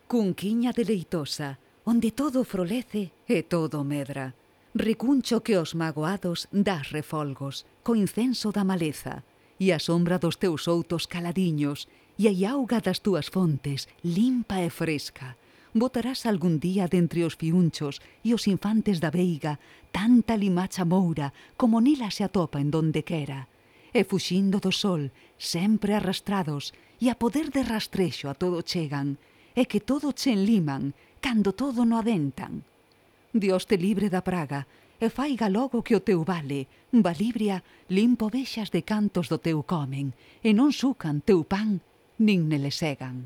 Cunquiña deleitosa, onde todo frolece e todo medra. Recuncho que os magoados das refolgos, co incenso da maleza, e a sombra dos teus outos caladiños, e a auga das túas fontes, limpa e fresca. Botarás algún día dentre os fiunchos e os infantes da veiga tanta limacha moura como nela se atopa en donde quera. E fuxindo do sol, sempre arrastrados, e a poder de rastrexo a todo chegan, e que todo che enliman, cando todo no adentan. Dios te libre da praga, e faiga logo que o teu vale, Valibria, limpo vexas de cantos do teu comen, e non sucan teu pan, nin nele segan.